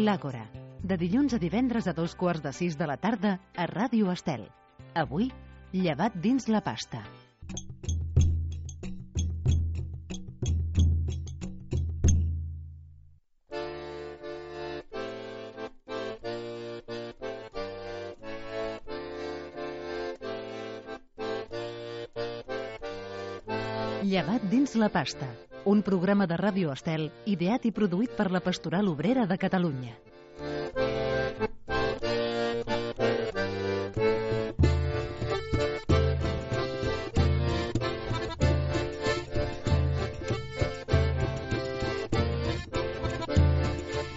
L'Àgora, de dilluns a divendres a 5:15 de la tarda a Ràdio Estel. Avui, llevat dins la pasta. Llevat dins la pasta, un programa de Ràdio Estel ideat i produït per la Pastoral Obrera de Catalunya.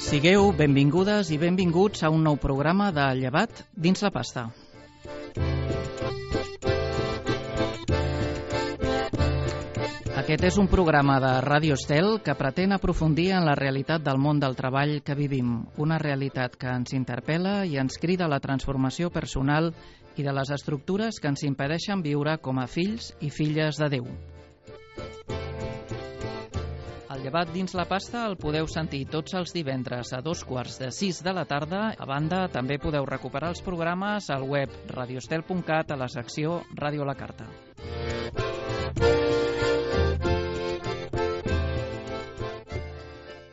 Sigueu benvingudes i benvinguts a un nou programa de Llevat dins la pasta. Aquest és un programa de Ràdio Estel que pretén aprofundir en la realitat del món del treball que vivim, una realitat que ens interpel·la i ens crida a la transformació personal i de les estructures que ens impedeixen viure com a fills i filles de Déu. El llevat dins la pasta el podeu sentir tots els divendres a 5:15 de la tarda. A banda, també podeu recuperar els programes al web radioestel.cat a la secció Ràdio a la Carta.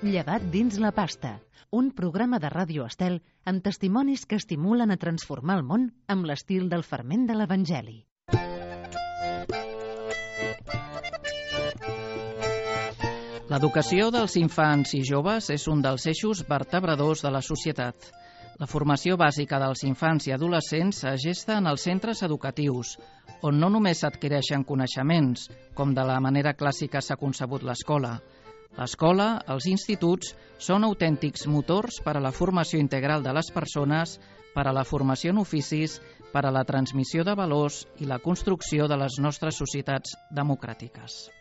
Llevat dins la pasta, un programa de Ràdio Estel amb testimonis que estimulen a transformar el món amb l'estil del ferment de l'Evangeli. L'educació dels infants i joves és un dels eixos vertebradors de la societat. La formació bàsica dels infants i adolescents es gesta en els centres educatius, on no només s'adquireixen coneixements, com de la manera clàssica s'ha concebut l'escola. L'escola, els instituts, són autèntics motors per a la formació integral de les persones, per a la formació en oficis, per a la transmissió de valors i la construcció de les nostres societats democràtiques.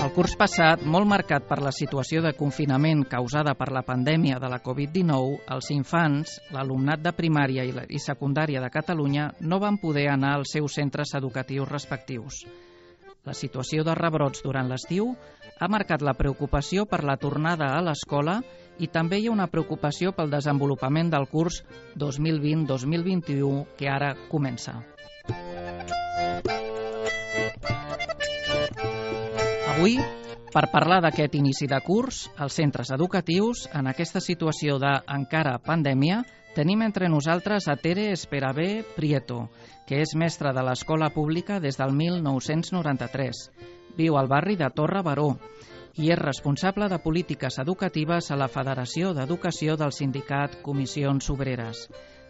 El curs passat, molt marcat per la situació de confinament causada per la pandèmia de la Covid-19, els infants, l'alumnat de primària i secundària de Catalunya no van poder anar als seus centres educatius respectius. La situació de rebrots durant l'estiu ha marcat la preocupació per la tornada a l'escola i també hi ha una preocupació pel desenvolupament del curs 2020-2021 que ara comença. Avui, per parlar d'aquest inici de curs, als centres educatius, en aquesta situació d'encara pandèmia, tenim entre nosaltres a Tere Esperabé Prieto, que és mestra de l'escola pública des del 1993. Viu al barri de Torre Baró i és responsable de polítiques educatives a la Federació d'Educació del sindicat Comissions Obreres.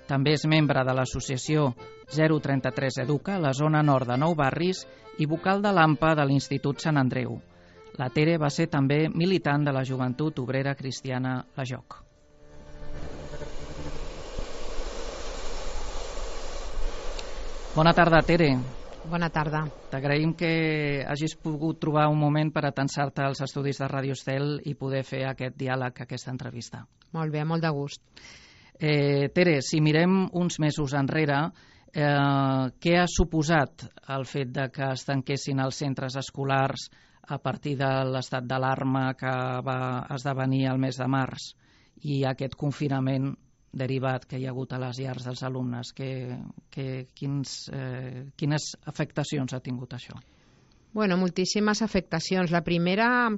També és membre de l'associació 033 Educa a la zona nord de Nou Barris i vocal de l'AMPA de l'Institut Sant Andreu. La Tere va ser també militant de la Joventut Obrera Cristiana La Joc. Bona tarda, Tere. Bona tarda. T'agraïm que hagis pogut trobar un moment per atensar-te als estudis de Ràdio Estel i poder fer aquest diàleg, aquesta entrevista. Molt bé, molt de gust. Tere, si mirem uns mesos enrere, què ha suposat el fet de que es tanquessin els centres escolars a partir de l'estat d'alarma que va esdevenir el mes de març i aquest confinament derivat que hi ha hagut a les llars dels alumnes? Quines afectacions ha tingut això? Bueno, moltíssimes afectacions. La primera,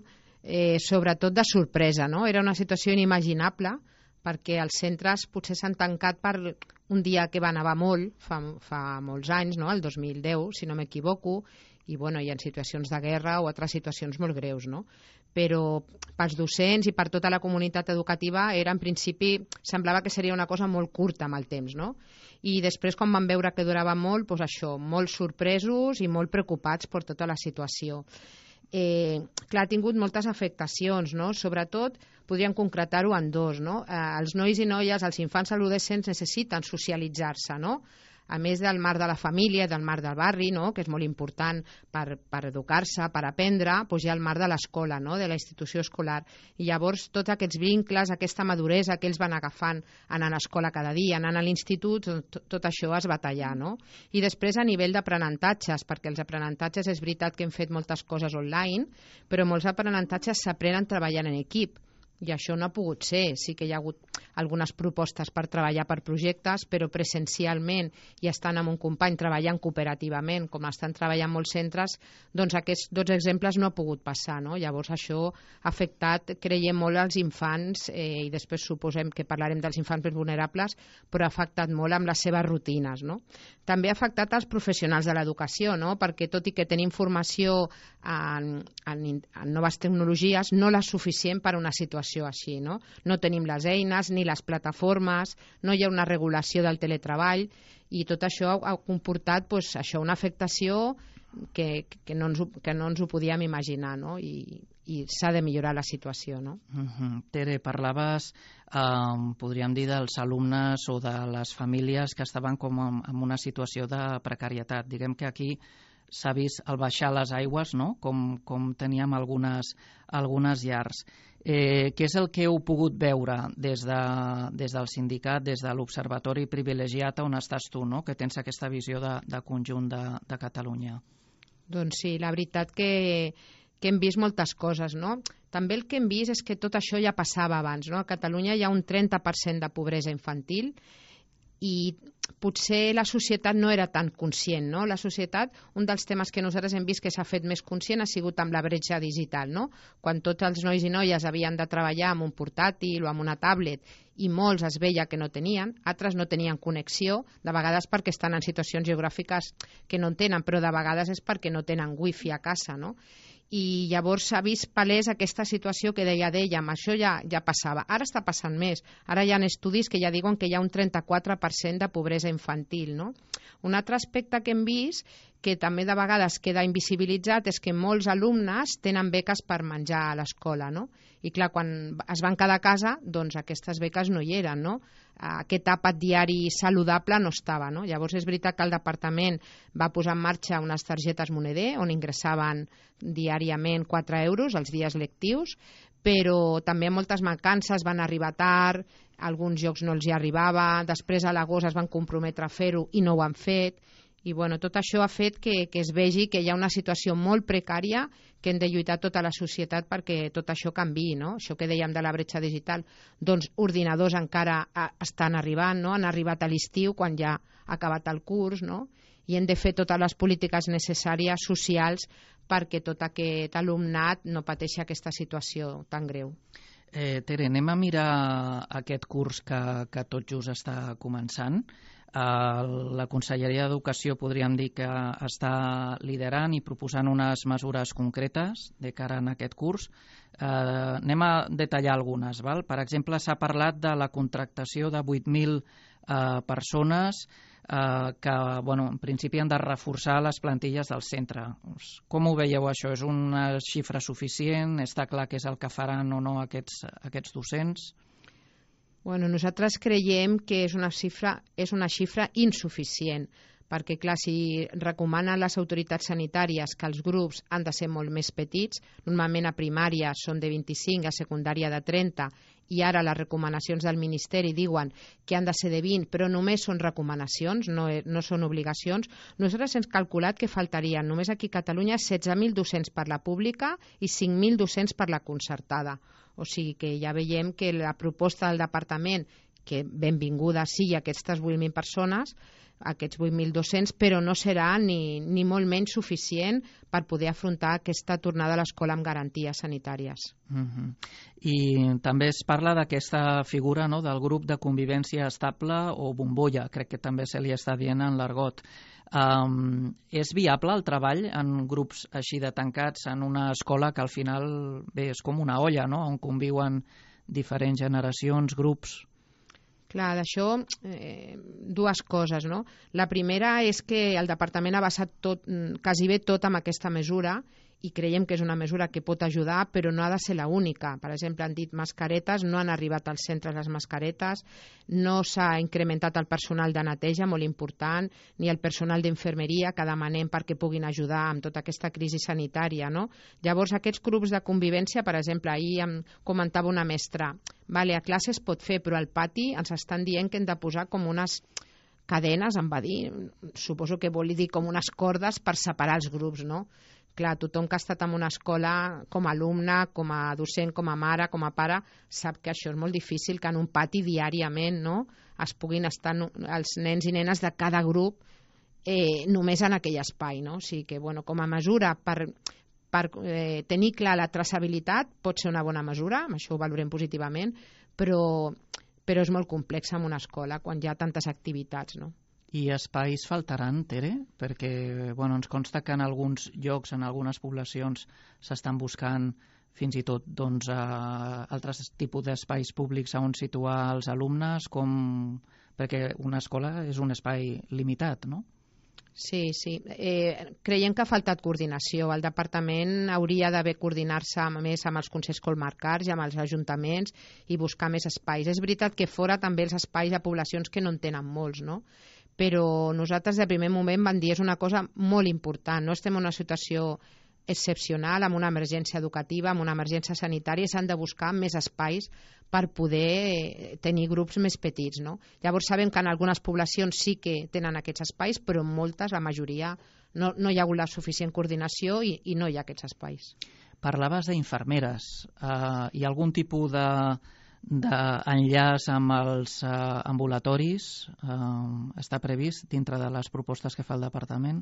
sobretot de sorpresa, no? Era una situació inimaginable perquè els centres potser s'han tancat per un dia que va nevar molt, fa molts anys, no? El 2010, si no m'equivoco, i bueno, hi ha situacions de guerra o altres situacions molt greus, no? Però pels docents i per tota la comunitat educativa era, en principi, semblava que seria una cosa molt curta amb el temps, no? I després, quan van veure que durava molt, doncs això, molt sorpresos i molt preocupats per tota la situació. Clar, ha tingut moltes afectacions, no? Sobretot, podríem concretar-ho en dos, no? Els nois i noies, els infants adolescents necessiten socialitzar-se, no? a més del marc de la família, del marc del barri, no?, que és molt important per educar-se, per aprendre, doncs hi ha el marc de l'escola, no?, de la institució escolar. I llavors tots aquests vincles, aquesta maduresa que ells van agafant anant a l'escola cada dia, anant a l'institut, tot això es va tallar, no? I després a nivell d'aprenentatges, perquè els aprenentatges és veritat que hem fet moltes coses online, però molts aprenentatges s'aprenen treballant en equip. I això no ha pogut ser. Sí que hi ha hagut algunes propostes per treballar per projectes, però presencialment i estant amb un company treballant cooperativament, com estan treballant molts centres, doncs aquests 2 exemples no ha pogut passar, no? Llavors això ha afectat, creiem, molt als infants, i després suposem que parlarem dels infants més vulnerables, però ha afectat molt amb les seves rutines, no? També ha afectat els professionals de l'educació, no? Perquè tot i que tenim formació en noves tecnologies, no la suficient per a una situació així, no? No tenim les eines ni les plataformes, no hi ha una regulació del teletreball i tot això ha comportat això, una afectació que no ens ho podíem imaginar, no? I s'ha de millorar la situació, no? Tere, parlaves, podríem dir, dels alumnes o de les famílies que estaven com en una situació de precarietat. Diguem que aquí s'ha vist el baixar les aigües, no?, com teníem algunes llars. Què és el que heu pogut veure des del sindicat, des de l'Observatori Privilegiat on estàs tu, no?, que tens aquesta visió de conjunt de Catalunya? Doncs sí, la veritat que hem vist moltes coses, no? També el que hem vist és que tot això ja passava abans, no? A Catalunya hi ha un 30% de pobresa infantil i potser la societat no era tan conscient, no? La societat, un dels temes que nosaltres hem vist que s'ha fet més conscient ha sigut amb la bretxa digital, no? Quan tots els nois i noies havien de treballar amb un portàtil o amb una tablet i molts es veia que no tenien, altres no tenien connexió, de vegades perquè estan en situacions geogràfiques que no en tenen, però de vegades és perquè no tenen wifi a casa, no? I llavors s'ha vist palès aquesta situació que dèiem, això ja passava. Ara està passant més. Ara hi ha estudis que ja diuen que hi ha un 34% de pobresa infantil, no? Un altre aspecte que hem vist, que també de vegades queda invisibilitzat, és que molts alumnes tenen beques per menjar a l'escola, no? I clar, quan es van quedar a casa, doncs aquestes beques no hi eren, no? Aquest àpat diari saludable no estava, no? Llavors és veritat que el departament va posar en marxa unes targetes moneder on ingressaven diàriament 4 euros els dies lectius, però també moltes mancances, van arribar tard, a alguns llocs no els hi arribava, després a l'agost es van comprometre a fer-ho i no ho han fet, i bueno, tot això ha fet que es vegi que hi ha una situació molt precària que hem de lluitar tota la societat perquè tot això canviï, no? Això que dèiem de la bretxa digital, doncs ordinadors encara estan arribant, no? Han arribat a l'estiu quan ja ha acabat el curs, no? I hem de fer totes les polítiques necessàries socials perquè tot aquest alumnat no pateixi aquesta situació tan greu. Tere, anem a mirar aquest curs que tot just està començant. La Conselleria d'Educació podríem dir que està liderant i proposant unes mesures concretes de cara a aquest curs. Anem a detallar algunes. Val? Per exemple, s'ha parlat de la contractació de 8.000 persones que en principi han de reforçar les plantilles del centre. Com ho veieu això? És una xifra suficient? Està clar què és el que faran o no aquests docents? Bueno, nosaltres creiem que és una xifra insuficient, perquè clar, si recomanen les autoritats sanitàries que els grups han de ser molt més petits, normalment a primària són de 25, a secundària de 30, i ara les recomanacions del Ministeri diuen que han de ser de 20, però només són recomanacions, no són obligacions. Nosaltres hem calculat que faltarien només aquí a Catalunya 16.000 docents per la pública i 5.000 docents per la concertada. O sigui que ja veiem que la proposta del departament, que benvinguda sigui aquestes 8.000 persones, aquests 8.000 docents, però no serà ni molt menys suficient per poder afrontar aquesta tornada a l'escola amb garanties sanitàries. I també es parla d'aquesta figura, no?, del grup de convivència estable o bombolla, crec que també se li està dient en l'argot. És viable el treball en grups així de tancats en una escola que al final és com una olla, no?, on conviuen diferents generacions, grups? Clar, d'això dues coses, no? La primera és que el departament ha basat quasi bé tot amb aquesta mesura i creiem que és una mesura que pot ajudar, però no ha de ser l'única. Per exemple, han dit mascaretes, no han arribat als centres les mascaretes, no s'ha incrementat el personal de neteja, molt important, ni el personal d'infermeria que demanem perquè puguin ajudar amb tota aquesta crisi sanitària, no? Llavors, aquests grups de convivència, per exemple, ahir em comentava una mestra, vale, a classe es pot fer, però al pati ens estan dient que hem de posar com unes cadenes, em va dir, suposo que vol dir com unes cordes per separar els grups, no? Clar, tothom que ha estat en una escola com a alumne, com a docent, com a mare, com a pare, sap que això és molt difícil, que en un pati diàriament, no?, es puguin estar els nens i nenes de cada grup només en aquell espai, no? O sigui que, bueno, com a mesura per tenir clar la traçabilitat pot ser una bona mesura, amb això ho valorem positivament, però és molt complex en una escola quan hi ha tantes activitats, no? I espais faltaran, Tere? Perquè ens consta que en alguns llocs, en algunes poblacions, s'estan buscant fins i tot altres tipus d'espais públics on situar els alumnes, perquè una escola és un espai limitat, no? Sí. Creiem que ha faltat coordinació. El departament hauria d'haver coordinar-se més amb els consells comarcals i amb els ajuntaments i buscar més espais. És veritat que fora també els espais a poblacions que no en tenen molts, no? Però nosaltres de primer moment vam dir és una cosa molt important. No estem en una situació excepcional, amb una emergència educativa, amb una emergència sanitària, s'han de buscar més espais per poder tenir grups més petits, no? Llavors sabem que en algunes poblacions sí que tenen aquests espais, però en moltes, la majoria, no hi ha hagut la suficient coordinació i no hi ha aquests espais. Parlaves d'infermeres. Hi ha algun tipus d'enllaç amb els ambulatoris? Està previst dintre de les propostes que fa el departament?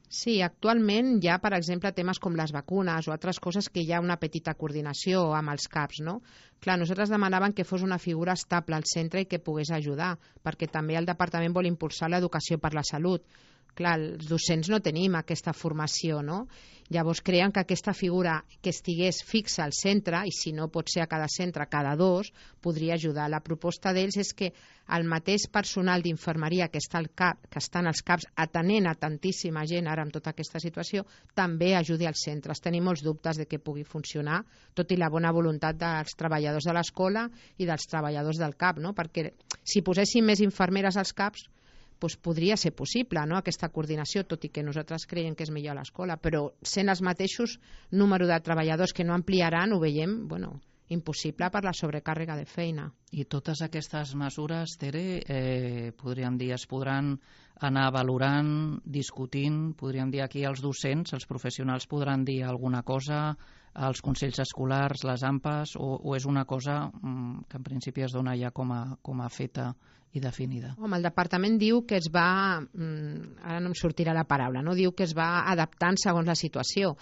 Sí, actualment hi ha, per exemple, temes com les vacunes o altres coses que hi ha una petita coordinació amb els CAPs, no? Clar, nosaltres demanàvem que fos una figura estable al centre i que pogués ajudar, perquè també el departament vol impulsar l'educació per la salut. Clar, els docents no tenim aquesta formació, no? Llavors creiem que aquesta figura que estigués fixa al centre, i si no pot ser a cada centre, cada dos, podria ajudar. La proposta d'ells és que el mateix personal d'infermeria que està als CAPs atenent a tantíssima gent ara amb tota aquesta situació, també ajudi als centres. Tenim molts dubtes de que pugui funcionar, tot i la bona voluntat dels treballadors de l'escola i dels treballadors del CAP, no? Perquè si poséssim més infermeres als CAPs, doncs podria ser possible, no?, aquesta coordinació, tot i que nosaltres creiem que és millor a l'escola, però sent els mateixos número de treballadors que no ampliaran, ho veiem, impossible per la sobrecàrrega de feina. I totes aquestes mesures, Tere, podríem dir, es podran anar valorant, discutint, podríem dir aquí els docents, els professionals podran dir alguna cosa, els consells escolars, les AMPAs, o és una cosa que en principi es dona ja com a feta i definida? Home, el departament diu que es va, ara no em sortirà la paraula, no? Diu que es va adaptant segons la situació.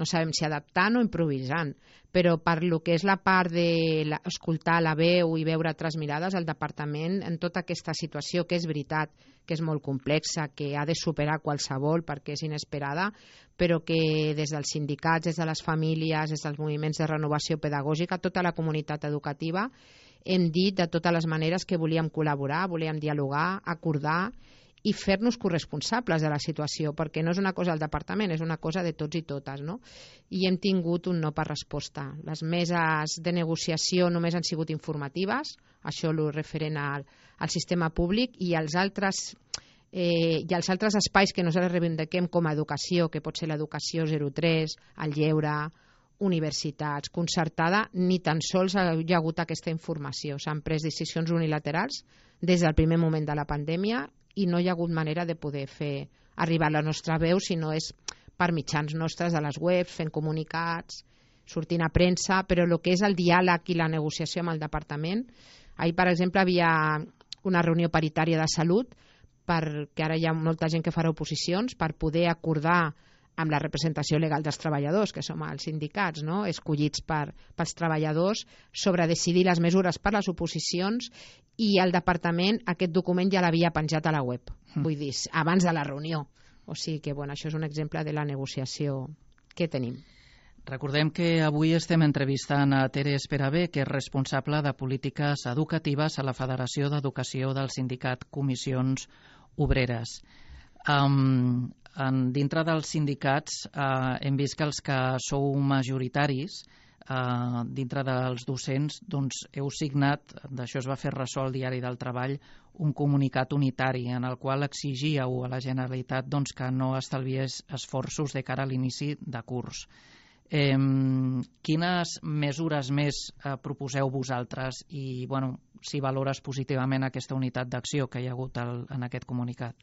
No sabem si adaptant o improvisant, però per lo que és la part d'escoltar la veu i veure altres mirades, el departament en tota aquesta situació, que és veritat que és molt complexa, que ha de superar qualsevol perquè és inesperada, però que des dels sindicats, des de les famílies, des dels moviments de renovació pedagògica, tota la comunitat educativa, hem dit de totes les maneres que volíem col·laborar, volíem dialogar, acordar i fer-nos corresponsables de la situació, perquè no és una cosa del departament, és una cosa de tots i totes, no? I hem tingut un no per resposta. Les meses de negociació només han sigut informatives, això és referent al sistema públic, i els altres espais que nosaltres reivindiquem com a educació, que pot ser l'educació 03, el lleure, universitats, concertada, ni tan sols hi ha hagut aquesta informació. S'han pres decisions unilaterals des del primer moment de la pandèmia i no hi ha hagut manera de poder fer arribar la nostra veu, si no és per mitjans nostres de les webs, fent comunicats, sortint a premsa, però el que és el diàleg i la negociació amb el departament. Ahir, per exemple, havia una reunió paritària de salut, perquè ara hi ha molta gent que farà oposicions, per poder acordar amb la representació legal dels treballadors, que som els sindicats, no?, escollits pels treballadors, sobre decidir les mesures per les oposicions, i el departament aquest document ja l'havia penjat a la web, vull dir, abans de la reunió. O sigui que, això és un exemple de la negociació que tenim. Recordem que avui estem entrevistant a Tere Esperabé, que és responsable de polítiques educatives a la Federació d'Educació del sindicat Comissions Obreres. dintre dels sindicats hem vist que els que sou majoritaris dintre dels docents doncs, heu signat, d'això es va fer ressò al Diari del Treball, un comunicat unitari en el qual exigíeu a la Generalitat doncs, que no estalviés esforços de cara a l'inici de curs. Quines mesures més proposeu vosaltres i si valores positivament aquesta unitat d'acció que hi ha hagut en aquest comunicat?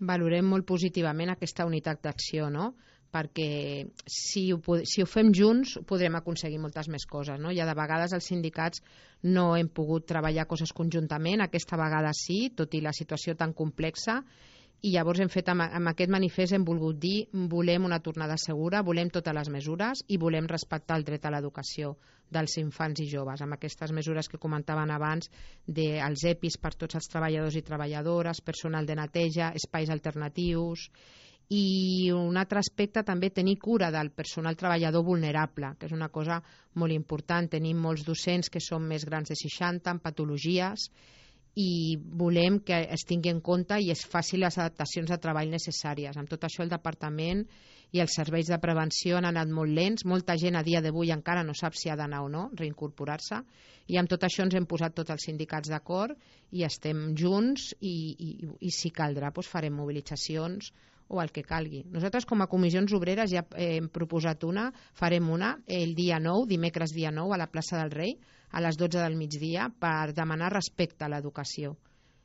Valorem molt positivament aquesta unitat d'acció, no? Perquè si ho fem junts podrem aconseguir moltes més coses, no? Ja de vegades els sindicats no hem pogut treballar coses conjuntament, aquesta vegada sí, tot i la situació tan complexa, i llavors hem fet amb aquest manifest hem volgut dir volem una tornada segura, volem totes les mesures i volem respectar el dret a l'educació dels infants i joves, amb aquestes mesures que comentaven abans dels EPIs per tots els treballadors i treballadores, personal de neteja, espais alternatius. I un altre aspecte també tenir cura del personal treballador vulnerable, que és una cosa molt important. Tenim molts docents que són més grans de 60 amb patologies i volem que es tingui en compte i es faci les adaptacions de treball necessàries. Amb tot això el departament i els serveis de prevenció han anat molt lents, molta gent a dia d'avui encara no sap si ha d'anar o no reincorporar-se, i amb tot això ens hem posat tots els sindicats d'acord i estem junts i si caldrà doncs farem mobilitzacions o el que calgui. Nosaltres com a comissions obreres ja hem proposat farem una el dia 9, dimecres dia 9 a la plaça del Rei a les 12 del migdia per demanar respecte a l'educació.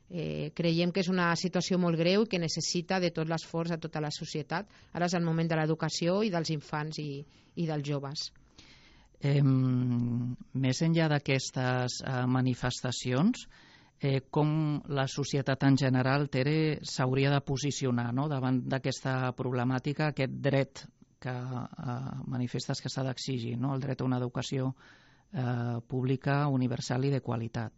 Creiem que és una situació molt greu i que necessita de tot l'esforç de tota la societat. Ara és el moment de l'educació i dels infants i dels joves. Més enllà d'aquestes manifestacions, com la societat en general, Tere, s'hauria de posicionar davant d'aquesta problemàtica, aquest dret que manifestes que s'ha d'exigir, el dret a una educació pública, universal i de qualitat?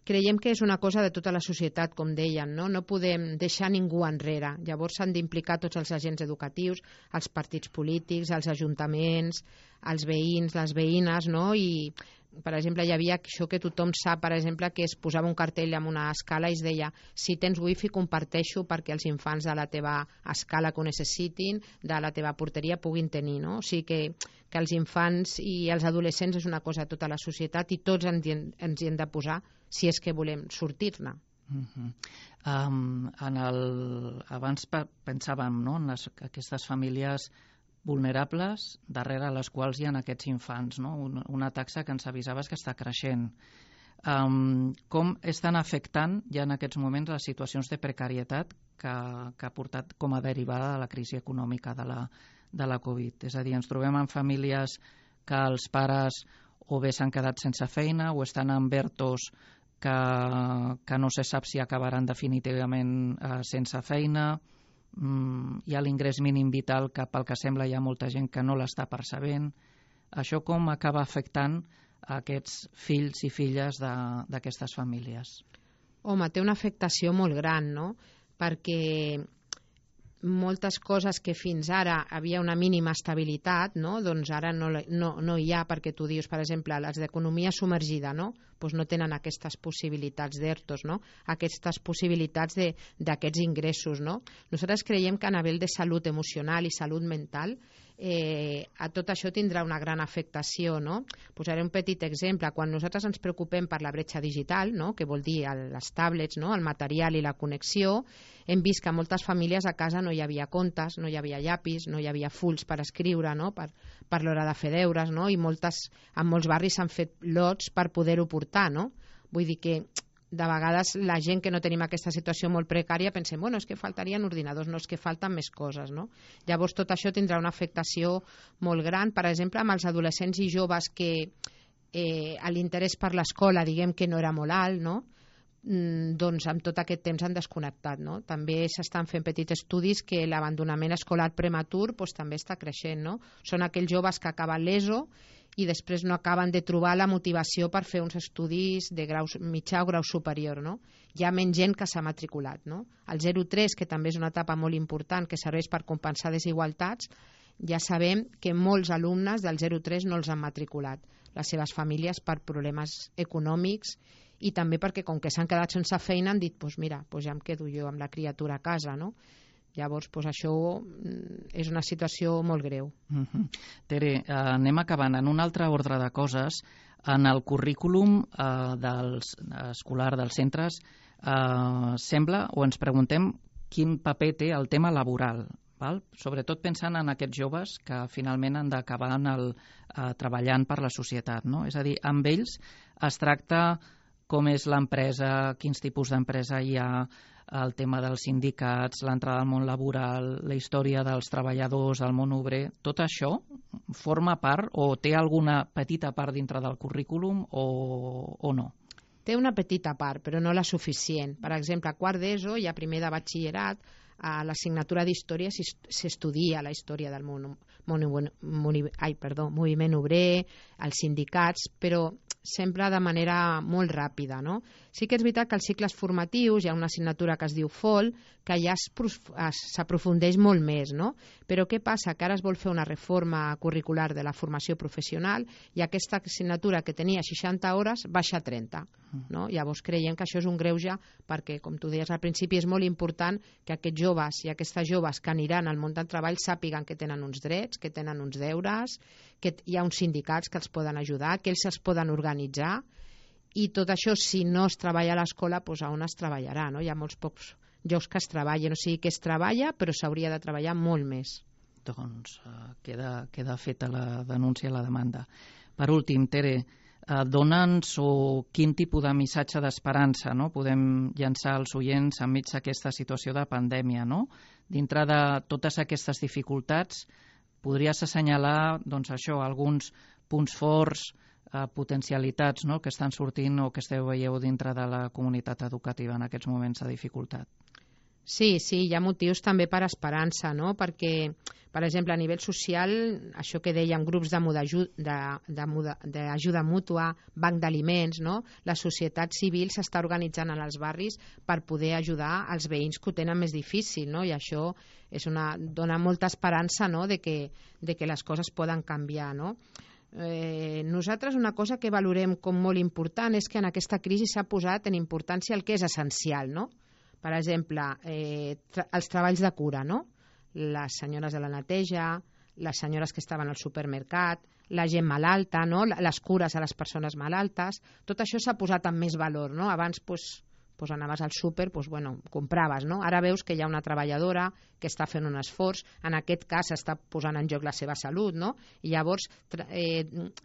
Creiem que és una cosa de tota la societat, com deien, no podem deixar ningú enrere. Llavors s'han d'implicar tots els agents educatius, els partits polítics, els ajuntaments, els veïns, les veïnes, i per exemple, hi havia això que tothom sap, per exemple, que es posava un cartell amb una escala i es deia si tens wifi comparteixo perquè els infants de la teva escala que ho necessitin, de la teva porteria puguin tenir, O sigui que els infants i els adolescents és una cosa de tota la societat i tots ens hi hem de posar si és que volem sortir-ne. Abans pensàvem en aquestes famílies vulnerables darrere les quals hi ha aquests infants, una taxa que ens avisaves que està creixent. Com estan afectant ja en aquests moments les situacions de precarietat que ha portat com a derivada de la crisi econòmica de la Covid? És a dir, ens trobem en famílies que els pares o bé s'han quedat sense feina o estan en ERTOs que no se sap si acabaran definitivament sense feina. Hi ha l'ingrés mínim vital que pel que sembla hi ha molta gent que no l'està percebent. Això com acaba afectant a aquests fills i filles d'aquestes famílies? Home, té una afectació molt gran, perquè moltes coses que fins ara havia una mínima estabilitat, doncs ara no hi ha, perquè tu dius, per exemple, les d'economia submergida, doncs no tenen aquestes possibilitats d'ERTOs, aquestes possibilitats d'aquests ingressos. Nosaltres creiem que a nivell de salut emocional i salut mental a tot això tindrà una gran afectació. Posaré un petit exemple. Quan nosaltres ens preocupem per la bretxa digital, que vol dir les tablets, el material i la connexió, hem vist que a moltes famílies a casa no hi havia comptes, no hi havia llapis, no hi havia fulls per escriure, per l'hora de fer deures, i en molts barris s'han fet lots per poder-ho portar. Vull dir que de vegades la gent que no tenim aquesta situació molt precària pensem, és que faltarien ordinadors, no, és que falten més coses. Llavors tot això tindrà una afectació molt gran, per exemple, amb els adolescents i joves que l'interès per l'escola diguem que no era molt alt, doncs amb tot aquest temps han desconnectat. També s'estan fent petits estudis que l'abandonament escolar prematur també està creixent. Són aquells joves que acaben l'ESO i després no acaben de trobar la motivació per fer uns estudis de grau mitjà o grau superior. Hi ha menys gent que s'ha matriculat. El 0-3, que també és una etapa molt important que serveix per compensar desigualtats, ja sabem que molts alumnes del 0-3 no els han matriculat, les seves famílies per problemes econòmics i també perquè com que s'han quedat sense feina han dit, mira, ja em quedo jo amb la criatura a casa. Llavors, això és una situació molt greu. Tere, anem acabant. En un altre ordre de coses, en el currículum escolar dels centres sembla, o ens preguntem, quin paper té el tema laboral, val? Sobretot pensant en aquests joves que finalment han d'acabar treballant per la societat, no? És a dir, amb ells es tracta com és l'empresa, quins tipus d'empresa hi ha, el tema dels sindicats, l'entrada al món laboral, la història dels treballadors, del món obrer, tot això forma part o té alguna petita part dintre del currículum o no? Té una petita part, però no la suficient. Per exemple, a quart d'ESO i a primer de batxillerat, a l'assignatura d'història s'estudia la història del moviment obrer, els sindicats, però sempre de manera molt ràpida, no? Sí que és veritat que als cicles formatius hi ha una assignatura que es diu FOL, que ja s'aprofundeix molt més, no? Però què passa? Que ara es vol fer una reforma curricular de la formació professional i aquesta assignatura que tenia 60 hores baixa a 30, no? Llavors creiem que això és un greuge perquè, com tu deies al principi, és molt important que aquests joves i aquestes joves que aniran al món del treball sàpiguen que tenen uns drets, que tenen uns deures, que hi ha uns sindicats que els poden ajudar, que ells es poden organitzar, i tot això, si no es treballa a l'escola, doncs on es treballarà, no? Hi ha molts pocs llocs que es treballen, o sigui que es treballa, però s'hauria de treballar molt més. Doncs queda feta la denúncia, la demanda. Per últim, Tere, dona'ns quin tipus de missatge d'esperança, no? Podem llançar als oients enmig d'aquesta situació de pandèmia, no? Dintre de totes aquestes dificultats, podries assenyalar alguns punts forts, potencialitats, no?, que estan sortint o que veieu dintre de la comunitat educativa en aquests moments de dificultat. Sí, hi ha motius també per esperança, no? Perquè, per exemple, a nivell social, això que dèiem, grups d'ajuda mútua, banc d'aliments, no? La societat civil s'està organitzant en els barris per poder ajudar els veïns que ho tenen més difícil, no? I això dona molta esperança, no?, de que les coses poden canviar, no? Nosaltres una cosa que valorem com molt important és que en aquesta crisi s'ha posat en importància el que és essencial, no? Per exemple, els treballs de cura, no? Les senyores de la neteja, les senyores que estaven al supermercat, la gent malalta, no? Les cures a les persones malaltes, tot això s'ha posat amb més valor, no? Abans, anaves al súper, compraves, no? Ara veus que hi ha una treballadora que està fent un esforç, en aquest cas està posant en joc la seva salut, no? I llavors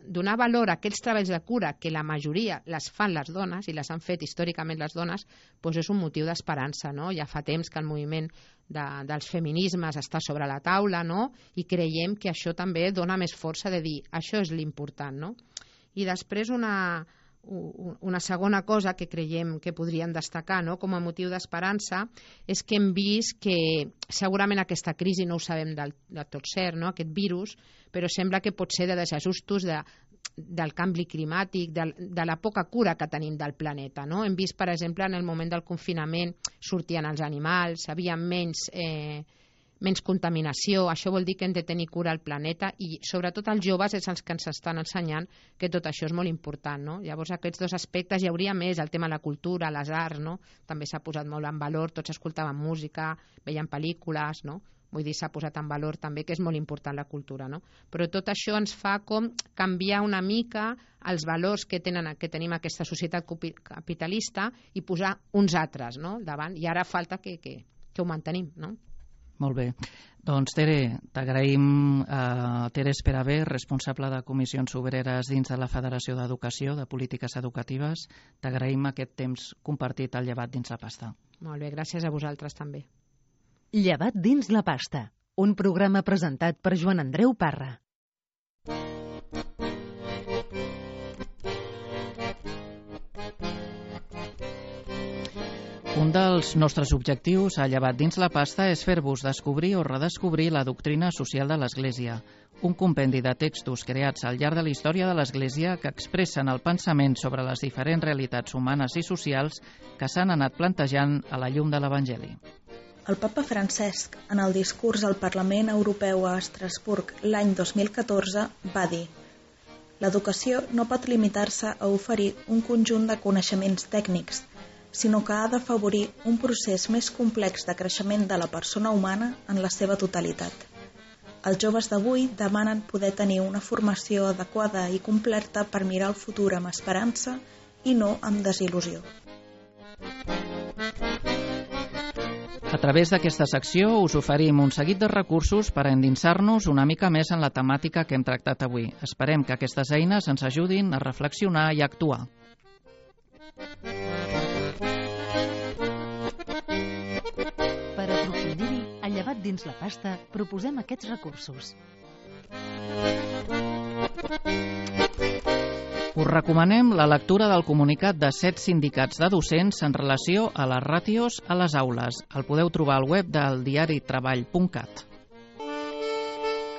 donar valor a aquells treballs de cura que la majoria les fan les dones i les han fet històricament les dones, és un motiu d'esperança, no? Ja fa temps que el moviment dels feminismes està sobre la taula, no? I creiem que això també dona més força de dir això és l'important, no? I després una segona cosa que creiem que podríem destacar, no?, com a motiu d'esperança és que hem vist que segurament aquesta crisi no ho sabem del tot cert, no?, aquest virus, però sembla que pot ser de desajustos del canvi climàtic, de la poca cura que tenim del planeta, no? Hem vist, per exemple, en el moment del confinament sortien els animals, hi havia menys contaminació, això vol dir que hem de tenir cura al planeta i sobretot els joves és els que ens estan ensenyant que tot això és molt important, no? Llavors aquests dos aspectes hi hauria més, el tema de la cultura, les arts, no? També s'ha posat molt en valor, tots escoltaven música, veien pel·lícules, no? Vull dir, s'ha posat en valor també que és molt important la cultura, no? Però tot això ens fa com canviar una mica els valors que tenim aquesta societat capitalista i posar uns altres, no?, davant, i ara falta que ho mantenim, no? Molt bé. Doncs, Tere, t'agraïm, Tere Esperavé, responsable de Comissions Obreres dins de la Federació d'Educació, de Polítiques Educatives. T'agraïm aquest temps compartit al Llevat dins la pasta. Molt bé, gràcies a vosaltres també. Llevat dins la pasta, un programa presentat per Joan Andreu Parra. Un dels nostres objectius a Llevat dins la pasta és fer-vos descobrir o redescobrir la doctrina social de l'Església, un compendi de textos creats al llarg de la història de l'Església que expressen el pensament sobre les diferents realitats humanes i socials que s'han anat plantejant a la llum de l'Evangeli. El papa Francesc, en el discurs al Parlament Europeu a Estrasburg l'any 2014, va dir: l'educació no pot limitar-se a oferir un conjunt de coneixements tècnics, sinó que ha d'afavorir un procés més complex de creixement de la persona humana en la seva totalitat. Els joves d'avui demanen poder tenir una formació adequada i completa per mirar el futur amb esperança i no amb desil·lusió. A través d'aquesta secció us oferim un seguit de recursos per a endinsar-nos una mica més en la temàtica que hem tractat avui. Esperem que aquestes eines ens ajudin a reflexionar i a actuar. Per aprofundir-hi, a Llevat dins la pasta, proposem aquests recursos. Us recomanem la lectura del comunicat de 7 sindicats de docents en relació a les ràtios a les aules. El podeu trobar al web del diaritreball.cat.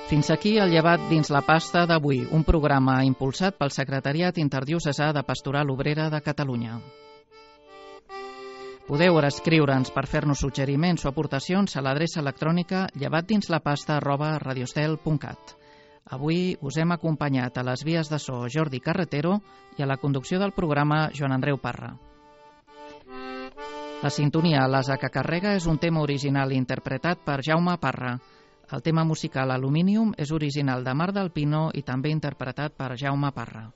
Fins aquí el Llevat dins la pasta d'avui, un programa impulsat pel Secretariat Interdiocesà de Pastoral Obrera de Catalunya. Podeu escriure'ns per fer-nos suggeriments o aportacions a l'adreça electrònica llevatdinslapasta@radiostel.cat. Avui us hem acompanyat a les vies de so Jordi Carretero i a la conducció del programa Joan Andreu Parra. La sintonia L'asa que carrega és un tema original interpretat per Jaume Parra. El tema musical Aluminium és original de Mar del Pino i també interpretat per Jaume Parra.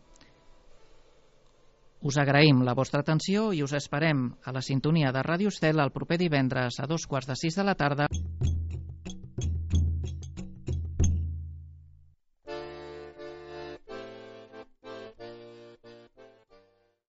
Us agraïm la vostra atenció i us esperem a la sintonia de Ràdio Estel el proper divendres a 5:45 de la tarda.